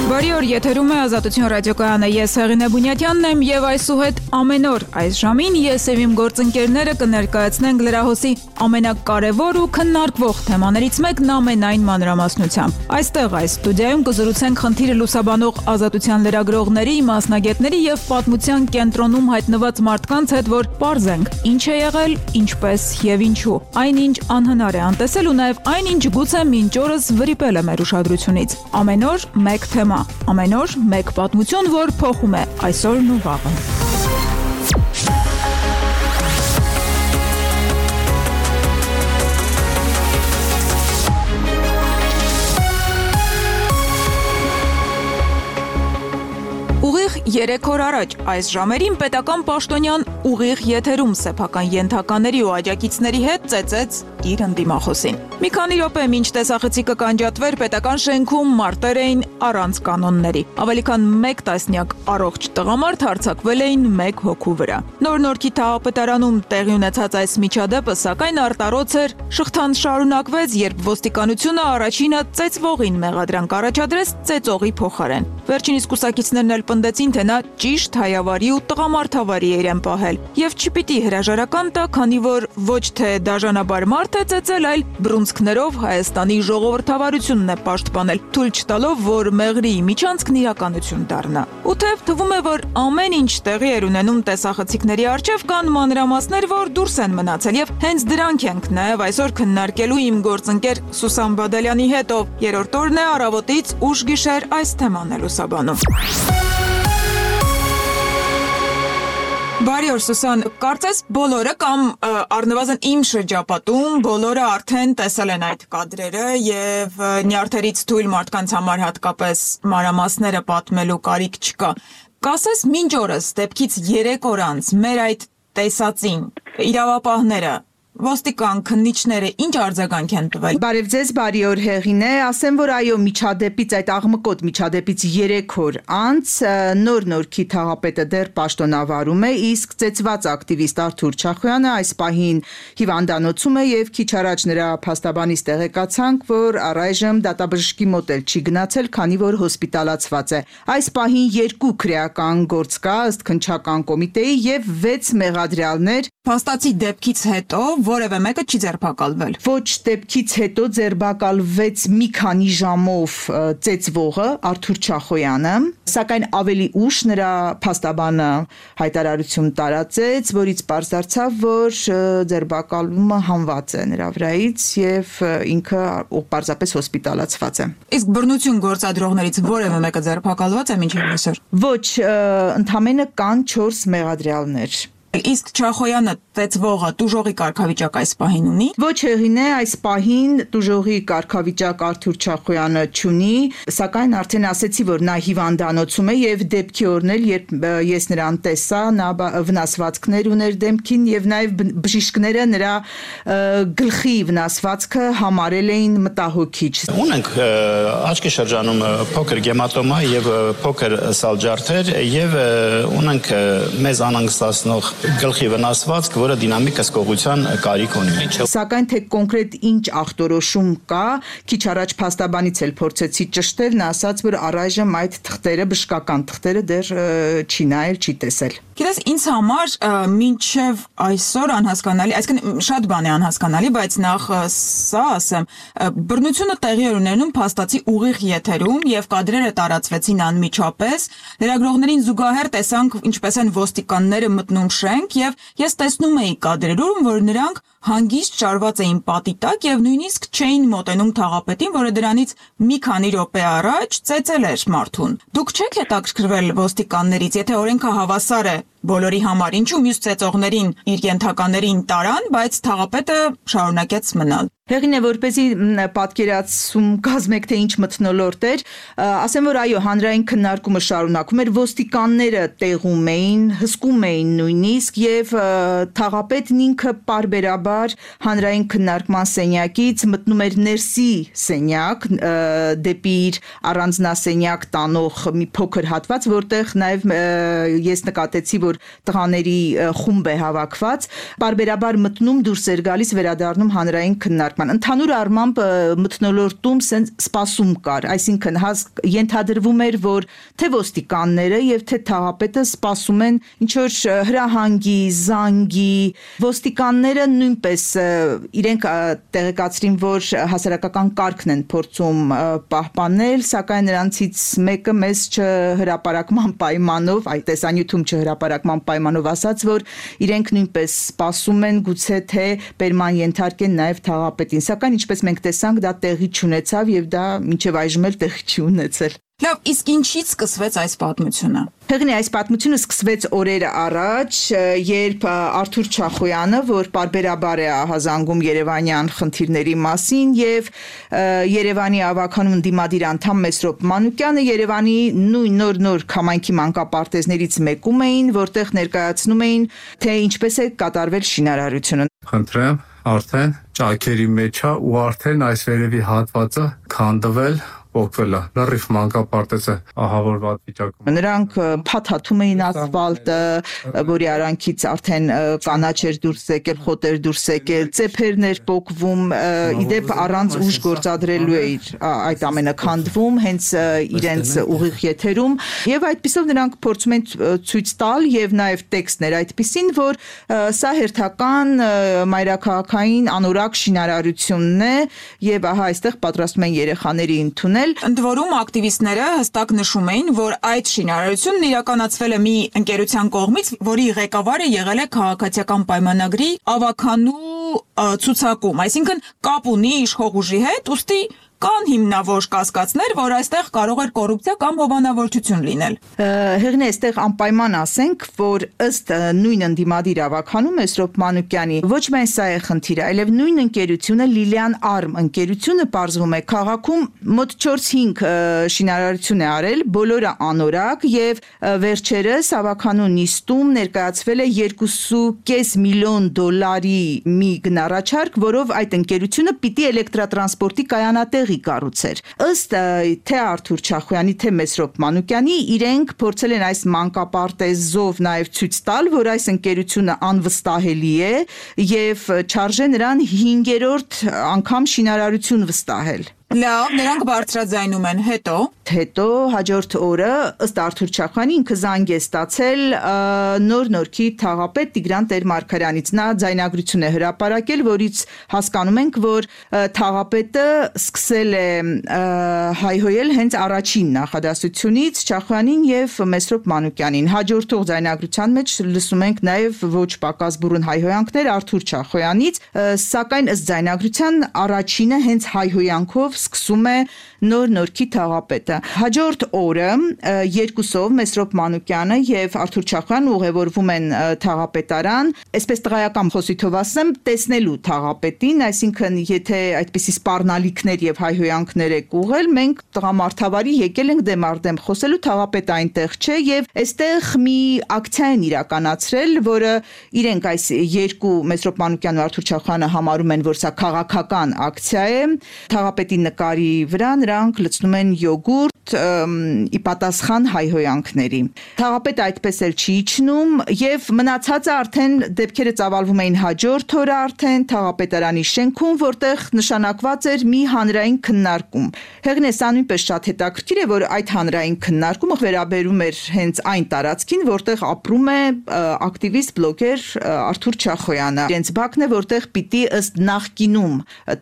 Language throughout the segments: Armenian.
Բարի օր, եթերում է Ազատություն ռադիոկայանը, ես Հեղինե Բունյատյանն եմ եւ այսուհետ ամեն օր այս ժամին ես եւ իմ գործընկերները կներկայացնենք լրահոսի ամենակարևոր ու քննարկվող թեմաներից մեկն ամենայն մանրամասնությամբ։ Այստեղ այս ստուդիայում կզրուցենք խնդիրը լուսաբանող ազատության լրագրողների, մասնագետների եւ պատմության կենտրոնում հայտնված մարդկանց հետ, որ պարզենք ինչ է եղել, ինչպես եւ ինչու։ Այնինչ անհնար է անտեսել ու նաեւ այնինչ գուցե մինչ օրս վրիպել է մեր ուշադրությունից։ Ամեն օր մեկ թեմա, ամեն օր մեկ պատմություն, որ փոխում է այսօրն ու վաղը։ Ուղիղ 3 օր առաջ այս ժամերին պետական պաշտոնյան ուղիղ եթերում սեփական ենթակաների ու աջակիցների հետ ծեծեց իր ընդդիմախոսին։ Մի քանի րոպե մինչ տեսախցիկը կանջատվեր, պետական շենքում մարտեր էին առանց կանոնների։ Ավելի քան 1 տասնյակ առողջ տղամարդ հարձակվել էին 1 հոգու վրա։ Նոր-Նորքի թաղապետարանում տեղի ունեցած այս միջադեպը սակայն արտարոց էր, շղթան շարունակվեց, երբ ոստիկանությունը առաջինը ծեծվողին մեղադրանք առաջադրեց ծեծողի փոխարեն։ Վերջինիս կուսակիցներն էլ պնդեցին, թե նա ճիշտ հայավարի ու տղամարդավարի է իրեն պահել եւ չպիտի հրաժարական տա, քանի որ ոչ թե դաժանաբար մարդ է ծեծել, այլ բռունցքներով Հայաստանի ժողովրդավարությունն է պաշտպանել, թույլ չտալով, որ մեղրի միջանցքն իրականություն դառնա։ Ու թեև թվում է, որ ամեն ինչ տեղի էր ունենում տեսախցիկների առջև, կան մանրամասներ, որ դուրս են մնացել եւ հենց դրանք ենք նաեւ այսօր քննարկելու իմ գործընկեր Սուսան Բադալյանի հետ, ով երրորդ օրն է առավոտից ուշ գիշեր այս թեման է լուսաբանում։ Բարի օր, Սուսան, կարծես բոլորը կամ առնվազն իմ շրջապատում բոլորը արդեն տեսել են այդ կադրերը եւ նյարդերից թույլ մարդկանց համար հատկապես մանրամասները պատմելու կարիք չկա։ Կասես մինչ օրս դեպքից 3 օր անց մեր այդ տեսածին իրավապահները ոստիկան քննիչները ինչ արձագանք են տվել։ Բարև ձեզ, բարի օր Հեղինե, ասեմ, որ այո, միջադեպից այդ աղմկոտ միջադեպից 3 օր անց Նոր-Նորքի թաղապետը դեռ պաշտոնավարում է, իսկ ծեծված ակտիվիստ Արթուր Չախոյանը այս պահին հիվանդանոցում է եւ քիչ առաջ նրա փաստաբանից տեղեկացանք, որ առայժմ դատաբժշկի մոտ էլ չի գնացել, քանի որ հոսպիտալացված է։ Այս պահին 2 քրեական գործ կա ըստ քննչական կոմիտեի եւ 6 մեղադրյալներ Փաստացի դեպքից հետո որևէ մեկը չի ձերբակալվել։ Ոչ դեպքից հետո ձերբակալվեց մի քանի ժամով ծեծվողը Արթուր Չախոյանը, սակայն ավելի ուշ նրա փաստաբանը հայտարարություն տարածեց, որից պարզ դարձավ, որ ձերբակալումը հանված է նրա վրայից եւ ինքը պարզապես հոսպիտալացված է։ Իսկ բռնություն գործադրողներից որևէ մեկը ձերբակալված է մինչև այսօր։ Ոչ, ընդամենը կան 4 մեղադրյալներ։ Իսկ Չախոյանը ծեծվողը տուժողի կարգավիճակ այս պահին ունի։ Ոչ Հեղինե, այս պահին տուժողի կարգավիճակ Արթուր Չախոյանը չունի, սակայն արդեն ասեցի, որ նա հիվանդանոցում է եւ դեպքի օրն էլ, երբ ես նրան տեսա, նա վնասվածքներ ուներ դեմքին եւ նաեւ բժիշկները նրա գլխի վնասվածքը համարել էին մտահոգիչ։ Ունենք աչքի շրջանում փոքր գեմատոմա եւ փոքր սալջարդեր եւ ունենք մեզ անհանգստացնող գլխի վնասվածք, որը դինամիկ հսկողության կարիք ունի։ Սակայն թե կոնկրետ ինչ ախտորոշում կա, քիչ առաջ փաստաբանից էլ փորձեցի ճշտել, նա ասաց, որ առայժմ այդ թղթերը, բժշկական թղթերը դեռ չի նայել, չի տեսել։ Գիտես, ինձ համար մինչև այսօր անհասկանալի, այսինքն շատ բան է անհասկանալի, բայց նախ սա ասեմ, բռնությունը տեղի էր ունենում փաստացի ուղիղ եթերում եւ կադրերը տարածվեցին անմիջապես, լրագրողներին զուգահեռ տեսանք ինչպես են ոստիկանները մտնում շենք եւ ես տեսնում էի կադրերում, որ նրանք հանգիստ շարված էին պատի տակ եւ նույնիսկ չէին մոտենում թաղապետին, որը դրանից մի քանի րոպե առաջ ծեծել էր մարդուն։ Դուք չեք հետաքրքրվել ոստիկաններից, եթե օրենքը հավասար է բոլորի համար, ինչու մյուս ծեծողներին իր ենթականերին տարան, բայց թաղապետը շարունակեց մնալ։ Հեղինե, որպեսզի պատկերացում կազմեք, թե ինչ մթնոլորտ էր, ասեմ, որ այո, հանրային քննարկումը շարունակում էր, ոստիկանները տեղում էին, հսկում էին նույնիսկ եւ թաղապետն ինքը պարբերաբար հանրային քննարկման սենյակից մտնում էր ներսի սենյակ, դեպի իր առանձնասենյակ տանող մի փոքր հատված, որտեղ նաեւ ես նկատեցի, որ տղաների խումբ է հավաքված, պարբերաբար մտնում, դուրս էր գալիս, վերադառնում հանրային քննարկման քննարկման։ Ընդհանուր առմամբ մթնոլորտում սպասում կար, այսինքն ենթադրվում էր, որ թե ոստիկանները եւ թե թաղապետը սպասում են ինչ որ հրահանգի, զանգի, ոստիկանները նույնպես իրենք տեղեկացրին, որ հասարակական կարգն են փորձում պահպանել, սակայն նրանցից մեկը մեզ չհրապարակման պայմանով, այդ տեսանյութում չհրապարակման պայմանով ասաց, որ իրենք նույնպես սպասում են գուցե թե բերման ենթարկեն նաև թաղապետին, սակայն ինչպես մենք տեսանք, դա տեղի չունեցավ եւ դա մինչեւ այժմ էլ տեղի չի ունեցել։ Լավ, իսկ ինչից սկսվեց այս պատմությունը։ Հեղինե, այս պատմությունը սկսվեց օրեր առաջ, երբ Արթուր Չախոյանը, որ պարբերաբար է ահազանգում երևանյան խնդիրների մասին եւ Երևանի ավականուն դիմադիր անդամ Մեսրոպ Մանուկյանը Երևանի նույն նոր քամայքի մանկապարտեզներից մեկում էին, որտեղ ներկայացնում էին, թե ինչպես է կատարվել շինարարությունը։ Խնդրեմ, արդեն ճակերի մեջ է ու արդեն այս վերևի հատվածը քանդվել օգվել է, լրիվ մանկապարտեզը ահավորված վիճակում։ Նրանք փաթաթում էին ասֆալտը, որի արանքից արդեն կանաչ էր դուրս եկել, խոտ էր դուրս եկել, ծեփերներ պոկվում, իդեպ առանց ուժ գործադրելու էր այդ ամենը քանդվում, հենց իրենց ուղիղ եթերում, եւ այդպիսով նրանք փորձում են ցույց տալ եւ նաեւ տեքստներ այդպիսին, որ սա հերթական մայրաքաղաքային անորակ շինարարությունն է եւ ահա այստեղ պատրաստում են երեխաների ընդունել։ Ընդ որում ակտիվիստները հստակ նշում էին, որ այդ շինարարությունն իրականացվել է մի ընկերության կողմից, որի ղեկավարը եղել է քաղաքացիական պայմանագրի ավականու ցուցակում, այսինքն կապ ունի իշխող ուժի հետ, ուստի կան հիմնավոր կասկածներ, որ այստեղ կարող էր կոռուպցիա կամ հովանավորչություն լինել։ Հեղինե, այստեղ անպայման ասենք, որ ըստ նույն ընդդիմադիր ավականու Մեսրոպ Մանուկյանի ոչ միայն սա է խնդիրը, այլև նույն ընկերությունը Լիլիան Արմ ընկերությունը պարզվում է քաղաքում մոտ 4-5 շինարարություն է արել, բոլորը անորակ եւ վերջերս ավականու նիստում ներկայացվել է $2.5 միլիոն մի գնառաչարք, որով այդ ընկերությունը պիտի էլեկտրատրանսպորտի կայանատեղի կառուցեր։ Ըստ թե Արթուր Չախոյանի, թե Մեսրոպ Մանուկյանի իրենք փորձել են այս մանկապարտեզով նաև ցույց տալ, որ այս ընկերությունը անվստահելի է եւ չարժե նրան 5-րդ անգամ շինարարություն վստահել։ Լավ, նրանք բարձրաձայնում են, հետո հաջորդ օրը ըստ Արթուր Չախոյանի ինքը զանգ է ստացել նոր-նորքի թաղապետ Տիգրան Տեր-Մարգարյանից, նա ձայնագրություն է հրապարակել, որից հասկանում ենք, որ թաղապետը սկսել է հայհոյել հենց առաջին նախադասությունից Չախոյանին եւ Մեսրոպ Մանուկյանին։ Հաջորդող ձայնագրության մեջ լսում ենք նաեւ ոչ պակաս բուրըն հայհոյանքներ Արթուր Չախոյանից, սակայն ըստ ձայնագրության առաջինը հենց հայհոյանքով սկսում է նոր-նորքի թաղապետը։ Հաջորդ օրը երկուսով Մեսրոպ Մանուկյանը եւ Արթուր Չախոյանը ուղևորվում են թաղապետարան, այսպես տղայական խոսիթով ասեմ, տեսնելու թաղապետին, այսինքն եթե այդպիսի սպառնալիքներ եւ հայհոյանքներ եք ուղղել, մենք տղամարդավարի եկել ենք դեմարդեմ խոսելու, թաղապետը այնտեղ չէ եւ այստեղ մի ակցիա են իրականացրել, որը իրենք այս երկու Մեսրոպ Մանուկյանն ու Արթուր Չախոյանը համարում են, որ սա քաղաքական ակցիա է։ Թաղապետի նկարի վրա նրանք լցնում են յոգուրտ ի պատասխան հայհոյանքների։ Թաղապետը այդպես էլ չի իջնում եւ մնացածը արդեն դեպքերը ծավալվում էին հաջորդ օրը արդեն թաղապետարանի շենքում, որտեղ նշանակված էր մի հանրային քննարկում։ Հեղինե, սա նույնպես շատ հետաքրքիր է, որ այդ հանրային քննարկումը վերաբերում էր հենց այն տարածքին, որտեղ ապրում է ակտիվիստ բլոգեր Արթուր Չախոյանը։ Իրենց բակն է, որտեղ պիտի ըստ նախկինում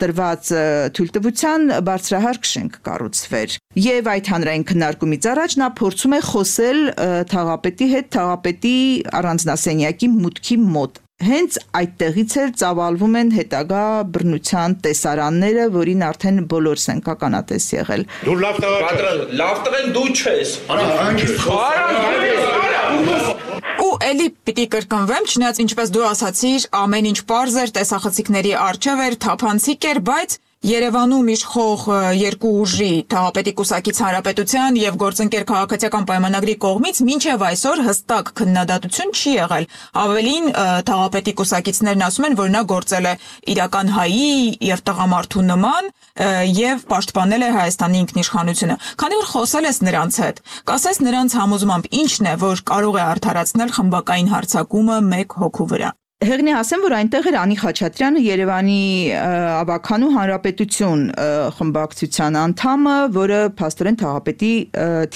տրված թույլտվության բարձրահարկ շենք կառուցվեր։ Եվ այդ հանրային քննարկումից առաջ նա փորձում է խոսել թաղապետի հետ, թաղապետի առանձնասենյակի մուտքի մոտ։ Հենց այդտեղից էլ ծավալվում են հետագա բռնության տեսարանները, որին արդեն բոլորս ենք ականատես եղել։ Դու լավ տղեն դու չես։ Ու էլի պիտի կրկնվեմ, չնայած ինչպես դու ասացիր, ամեն ինչ պարզ էր, տեսախցիկների առջև էր, թափանցիկ էր, բայց Երևանում իշխող երկու ուժի թաղապետի կուսակից Հանրապետության եւ գործընկեր քաղաքացիական պայմանագրի կողմից մինչեւ այսօր հստակ քննադատություն չի եղել։ Ավելին թաղապետի կուսակիցներն ասում են, որ նա գործել է իրական հայի եւ տղամարդու նման եւ պաշտպանել է Հայաստանի ինքնիշխանությունը։ Քանի որ խոսել ես նրանց հետ, կասես նրանց համոզմամբ ինչն է, որ կարող է արդարացնել խմբակային հարձակումը մեկ հոգու վրա։ Հեղինե ասեմ, որ այնտեղ էր Անի Խաչատրյանը, Երևանի ավագանու Հանրապետություն խմբակցության անդամը, որը փաստորեն թաղապետի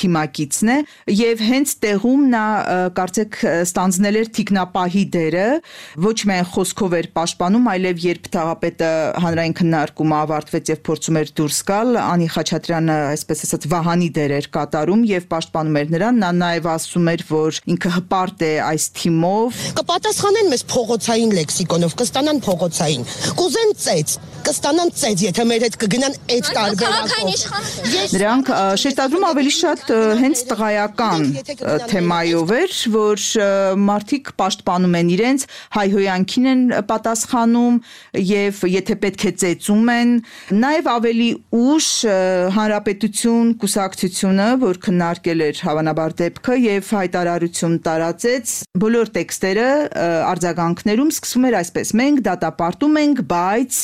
թիմակիցն է, եւ հենց տեղում նա կարծեք ստանձնել էր թիկնապահի դերը, ոչ միայն խոսքով էր պաշտպանում, այլև երբ թաղապետը հանրային քննարկումը ավարտվեց եւ փորձում էր դուրս գալ, Անի Խաչատրյանը, այսպես ասած, վահանի դեր էր կատարում եւ պաշտպանում էր նրան, նա նաեւ ասում էր, որ ինքը հպարտ է այս թիմով։ Կպատասխանեն մեզ փողոցային լեքսիկոնով, կստանան փողոցային, կուզեն ծեծ, կստանան ծեծ, եթե մեր հետ կգնան այդ տարբերակով։ Նրանք շեշտադրում ավելի շատ հենց տղայական թեմայով էր, որ մարդիկ պաշտպանում են իրենց, հայհոյանքին են պատասխանում եւ եթե պետք է ծեծում են, նաեւ ավելի ուշ Հանրապետություն կուսակցությունը, որ քննարկել էր հավանաբար դեպքը եւ հայտարարություն տարածեց, բոլոր տեքստերը արձագանքներում սկսվում էր այսպես. մենք դատապարտում ենք, բայց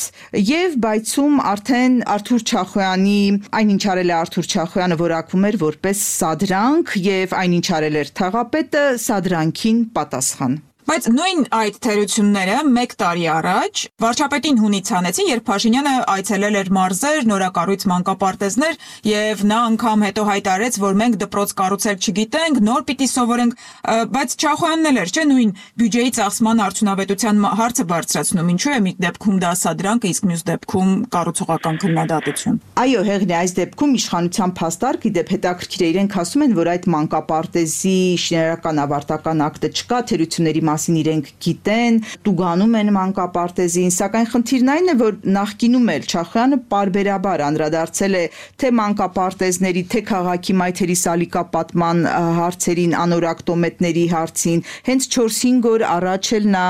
եւ բայցում արդեն Արթուր Չախոյանի այնինչ արել է Արթուր Չախոյանը որակվում էր որպես սադրանք եւ այնինչ արել էր թաղապետը սադրանքին պատասխան։ Բայց նույն այդ թերությունները 1 տարի առաջ վարչապետին հունից հանեցին, երբ Փաշինյանը այցելել էր մարզեր, նորակառույց մանկապարտեզներ եւ նա անգամ հետո հայտարարեց, որ մենք դպրոց կառուցել չգիտենք, նոր պիտի սովորենք, բայց Չախոյանն էլ էր, չէ՞, նույն բյուջեի ծախսման արդյունավետության հարցը բարձրացնում, ինչու է մի դեպքում դա սադրանք, իսկ մյուս դեպքում կառուցողական քննադատություն։ Այո, հեղինե, այս դեպքում իշխանության փաստարկ, իդեպ հետաքրքիր է, իրենք ասում են, որ այդ մանկապարտեզի շինարարական ավարտական ակտը չկա, թերությունների մասին իրենք գիտեն, տուգանում են մանկապարտեզին, սակայն խնդիրն այն է, որ նախկինում էլ Չախոյանը պարբերաբար անդրադարձել է թե մանկապարտեզների, թե քաղաքի մայթերի սալիկապատման հարցերին, անորակ տոմետների հարցին, հենց 4-5 օր առաջ էլ նա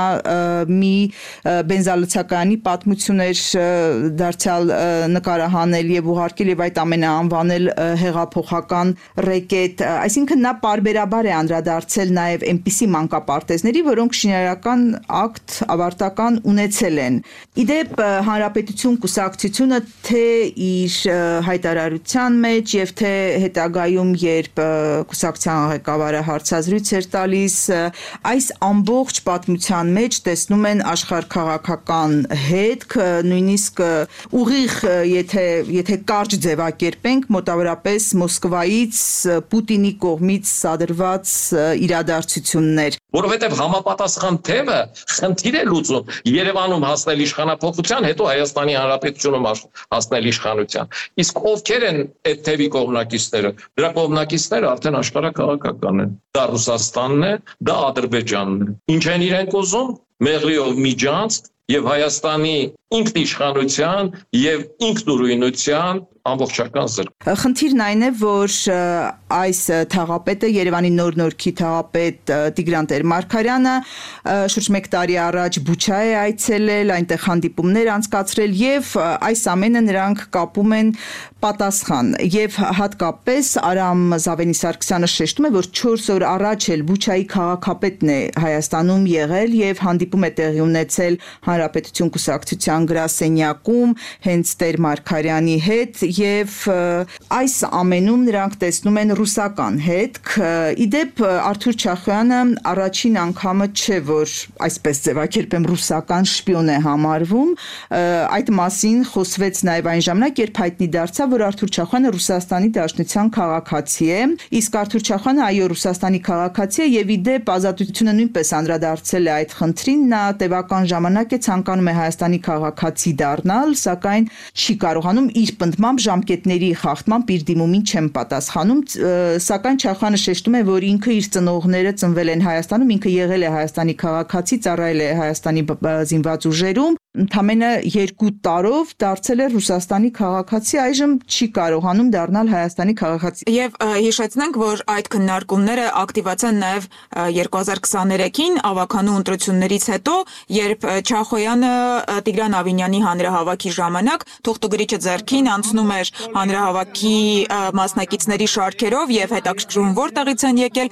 մի բենզալցակայանի պատմություն էր դարձյալ նկարահանել եւ ուղարկել եւ այդ ամենը անվանել հեղափոխական ռեկետ, այսինքն նա պարբերաբար է անդրադարձել նաեւ այնպիսի մանկապարտեզների, որոնք շինարարական ակտ ավարտական ունեցել են։ Իդեպ Հանրապետություն կուսակցությունը թե իր հայտարարության մեջ եւ թե հետագայում, երբ կուսակցության ղեկավարը հարցազրույց էր տալիս, այս ամբողջ պատմության մեջ տեսնում են աշխարհքաղաքական հետք, նույնիսկ ուղիղ, եթե կարճ ձևակերպենք, մոտավորապես Մոսկվայից Պուտինի կողմից սադրված իրադարձություններ, որովհետև համապատասխան թևը խնդիր է լուծում Երևանում հասնել իշխանափոխության, հետո Հայաստանի Հանրապետությունում հասնել իշխանության։ Իսկ ովքեր են այդ թևի կողմնակիցները։ Դրա կողմնակիցները արդեն աշխարհաքաղաքական են։ Դա Ռուսաստանն է, դա Ադրբեջանն է։ Ինչ են իրենք ուզում։ Մեղրիով միջանցք եւ Հայաստանի ինքնիշխանության եւ ինքնուրույնության ամբողջական զրկ։ Խնդիրն այն է, որ այս թաղապետը, Երևանի նոր նորքի թաղապետ Տիգրան Տեր-Մարգարյանը շուրջ 1 տարի առաջ Բուչա է այցելել, այնտեղ հանդիպումներ անցկացրել եւ այս ամենը նրանք կապում են պատասխան եւ հատկապես Արամ Զավենի Սարգսյանը շեշտում է, որ 4 օր առաջ էլ Բուչայի քաղաքապետն է Հայաստանում եղել եւ հանդիպում է տեղի ունեցել Հանրապետություն կուսակցության գրասենյակում հենց Տեր-Մարգարյանի հետ եւ այս ամենում նրանք տեսնում են ռուսական հետք։ Իդեպ Արթուր Չախոյանը առաջին անգամը չէ, որ այսպես ձևակերպեմ ռուսական շպիոն է համարվում, այդ մասին խոսվեց նաեւ այն ժամանակ, երբ հայտնի դարձավ, որ Արթուր Չախոյանը Ռուսաստանի Դաշնության քաղաքացի է, իսկ Արթուր Չախոյանը այո Ռուսաստանի քաղաքացի է եւ իդեպ Ազատությունը նույնպես անդրադարձել է այդ խնդրին, նա տևական ժամանակ է ցանկանում է Հայաստանի քաղաքացի դառնալ, սակայն չի կարողանում իր պնդմամբ ժամկետների խախտմամբ իր դիմումին չեն պատասխանում, սակայն Չախոյանը շեշտում է, որ ինքը իր ծնողները ծնվել են Հայաստանում, ինքը եղել է Հայաստանի քաղաքացի, ծառայել է Հայաստանի զինված ուժերում, ընդամենը 2 տարով դարձել է Ռուսաստանի քաղաքացի, այժմ չի կարողանում դառնալ Հայաստանի քաղաքացի։ Եվ հիշեցնենք, որ այդ քննարկումները ակտիվացան նաև 2023-ին ավականու ընտրություններից հետո, երբ Չախոյանը Տիգրան Ավինյանի հանրահավաքի ժամանակ թուղթուգրիչը ձեռքին անցնում էր հանրահավաքի մասնակիցների շարքերով եւ հետաքրքրում որտեղից են եկել։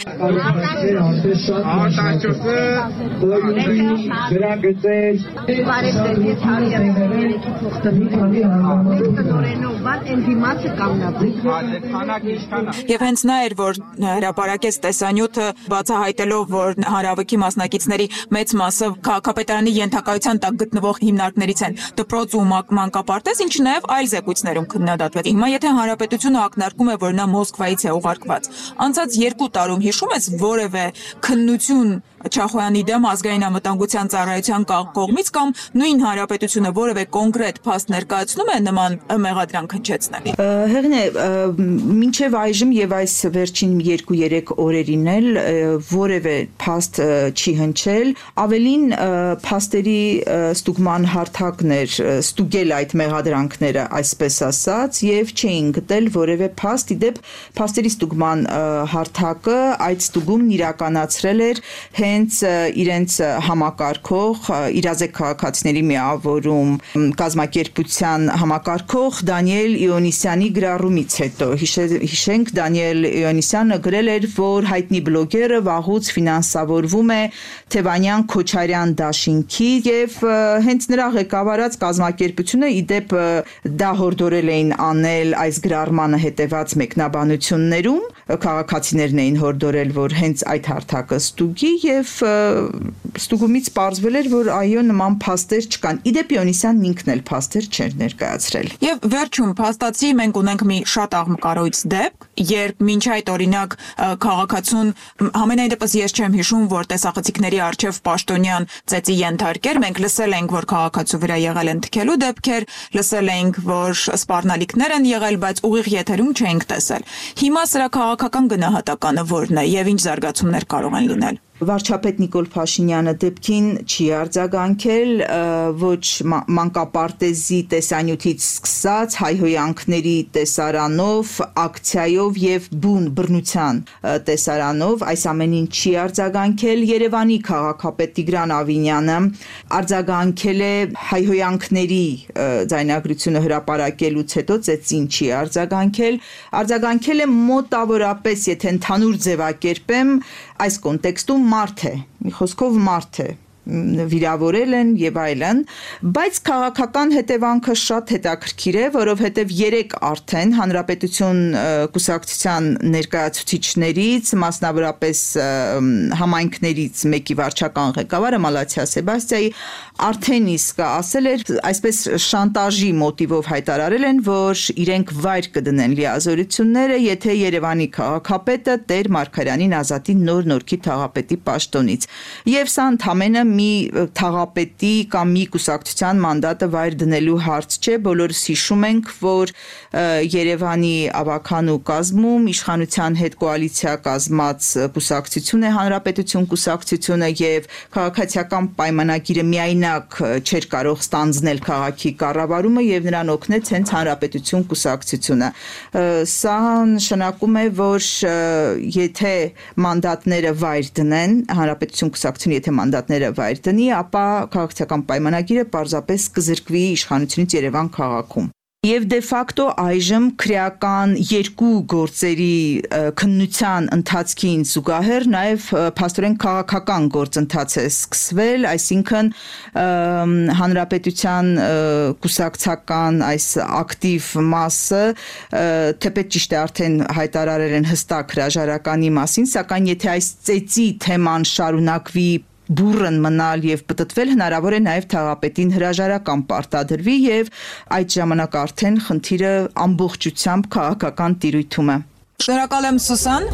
Եվ հենց նա էր, որ հրապարակեց տեսանյութը բացահայտելով, որ հանրավիքի մասնակիցների մեծ մասը քաղաքապետարանի ենթակայության տակ գտնվող հիմնարկներից են դպրոց ու մանկապարտեզ, ինչը նաև այլ զեկույցներում քննադատվեց։ Հիմա եթե հանրապետությունը ակնարկում է, որ նա Մոսկվայից է ուղարկված, անցած 2 տարում հիշում ես որևէ քննություն Չախոյանի դեմ ազգային անվտանգության ծառայության կողմից կամ նույն հանրապետությունը որևէ կոնկրետ փաստ ներկայացնում է նման մեղադրանք հնչեցնել։ Հեղինե, մինչև այժմ եւ այս վերջին 2-3 օրերին էլ որևէ փաստ չի հնչել, ավելին փաստերի ստուգման հարթակներ ստուգել այդ մեղադրանքները, այսպես ասած, եւ չէին գտել որևէ փաստ, իդեպ փաստերի ստուգման հարթակը այդ ստուգումն իրականացրել էր հենց իրենց համակարգող իրազեկ քաղաքացիների միավորում կազմակերպության համակարգող Դանիել Իոնիսյանի գրառումից հետո հիշենք Դանիել Իոնիսյանը գրել էր, որ հայտնի բլոգերը վաղուց ֆինանսավորվում է Թևանյան Քոչարյան դաշինքի եւ հենց նրա ղեկավարած կազմակերպությունը իդեպ դա հորդորել էին անել այս գրառմանը հետեված մեկնաբանություններում քաղաքացիներն էին հորդորել, որ հենց այդ հարթակը ստուգի եւ ստուգումից պարզվել էր, որ այո նման փաստեր չկան։ Իդեպ Իոնիսյանն ինքն էլ փաստեր չէր ներկայացրել։ Եվ վերջում փաստացի մենք ունենք մի շատ աղմկարոյց դեպք, երբ մինչ այդ օրինակ քաղաքացուն ամենայն դեպս ես չեմ հիշում, որ տեսախցիկների արչև պաշտոնյան ծեծի ենթարկեր, մենք լսել ենք, որ քաղաքացու վրա եղել են թքելու դեպքեր, լսել ենք, որ սպառնալիքներ են եղել, բայց ուղիղ եթերում չենք տեսել։ Հիմա սրա քաղաքական գնահատականը որն է եւ ինչ զարգացումներ կարող են լինել։ Վարչապետ Նիկոլ Փաշինյանը դեպքին չի արձագանքել, ոչ մանկապարտեզի տեսանյութից սկսած հայհոյանքների տեսարանով, ակցիայով եւ բուն բռնության տեսարանով այս ամենին չի արձագանքել։ Երևանի քաղաքապետ Տիգրան Ավինյանը արձագանքել է հայհոյանքների ձայնագրությունը հրապարակելուց հետո ծեծին չի արձագանքել է մոտավորապես, եթե ընդհանուր ձևակերպեմ, այս կոնտեքստում մարդ է, մի խոսքով մարդ է, վիրավորել են եւ այլն, բայց քաղաքական հետևանքը շատ հետաքրքիր է, որովհետեւ 3 արդեն հանրապետություն կուսակցության ներկայացուցիչներից, մասնավորապես համայնքներից մեկի վարչական ղեկավարը Մալաթիա Սեբաստիայի արդեն իսկ ասել էր, այսպես շանտաժի մոտիվով հայտարարել են, որ իրենք վայր կդնեն լիազորությունները, եթե Երևանի քաղաքապետը Տեր Մարգարյանին ազատի նոր-նորքի թաղապետի պաշտոնից։ Եվ սա ընդամենը մի թաղապետի կամ մի կուսակցության մանդատը վայր դնելու հարց չէ, բոլորս հիշում ենք, որ Երևանի ավականու կազմում իշխանության հետ կոալիցիա կազմած կուսակցություն է Հանրապետություն կուսակցությունը եւ քաղաքացիական պայմանագիրը միայնակ չէր կարող ստանձնել քաղաքի կառավարումը եւ նրան օգնեց հենց Հանրապետություն կուսակցությունը։ Սա նշանակում է, որ եթե մանդատները վայր դնեն, Հանրապետություն կուսակցությունը եթե մանդատները վայր դնի, ապա քաղաքացիական պայմանագիրը պարզապես կզրկվի իշխանությունից Երևան քաղաքում։ Եվ դե ֆակտո այժմ քրեական 2 գործերի քննության ընթացքին զուգահեռ նաև փաստորեն քաղաքական գործընթաց է սկսվել, այսինքն հանրապետության կուսակցական այս ակտիվ մասը թեպետ ճիշտ է արդեն հայտարարել են հստակ հրաժարականի մասին, սակայն եթե այս ծեծի թեման շարունակվի բուրըն մնալ եւ պտտվել հնարավոր է նաեւ թաղապետին հրաժարական պարտադրվի եւ այդ ժամանակ արդեն խնդիրը ամբողջությամբ քաղաքական տիրույթում է։ Շնորհակալ եմ Սուսան։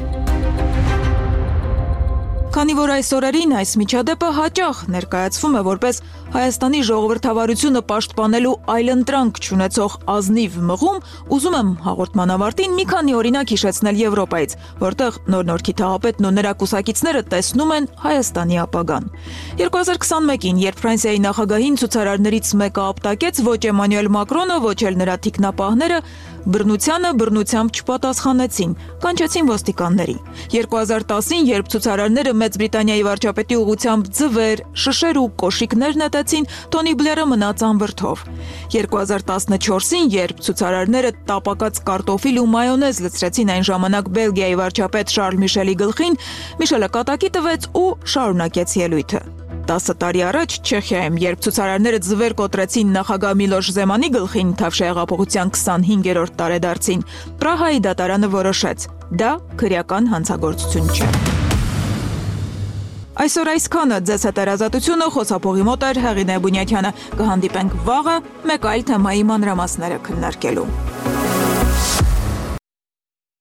Քանի որ այս օրերին այս միջադեպը հաճախ ներկայացվում է որպես Հայաստանի ժողովրդավարությունը պաշտպանելու այլընտրանք չունեցող ազնիվ մղում, ուզում եմ հաղորդման ավարտին մի քանի օրինակ հիշեցնել Եվրոպայից, որտեղ նոր-նորքի թաղապետն ու նրա կուսակիցները տեսնում են Հայաստանի ապագան։ 2021-ին, երբ Ֆրանսիայի նախագահին ցուցարարներից մեկը ապտակեց, ոչ Էմանուել Մակրոնը, ոչ էլ նրա թիկնապահները բռնությանը բռնությամբ չպատասխանեցին, կանչեցին ոստիկանների։ 2010-ին, երբ ցուցարարները Մեծ Բրիտանիայի վարչապետի ուղղությամբ ձվեր, շշեր ու կոշիկներ նետեցին, Թոնի Բլերը մնաց անվրդով։ 2014-ին, երբ ցուցարարները տապակած կարտոֆիլ ու մայոնեզ լցրեցին այն ժամանակ Բելգիայի վարչապետ Շարլ Միշելի գլխին, Միշելը կատակի տվեց ու շարունակեց ելույթը։ 10 տարի առաջ Չեխիայում, երբ ցուցարարները ձվեր կոտրեցին նախագահ Միլոշ Զեմանի գլխին Թավշյա հեղափոխության 25-րդ տարեդարձին, Պրահայի դատարանը որոշեց. դա քրեական հանցագործություն չէ։ Այսօր այսքանը ձեզ հետ երազատությունը խոսափողի մոտ էր Հեղինե Բունյաթյանը։ Կհանդիպենք վաղը մեկ այլ թեմայի մանրամասները քննարկելու։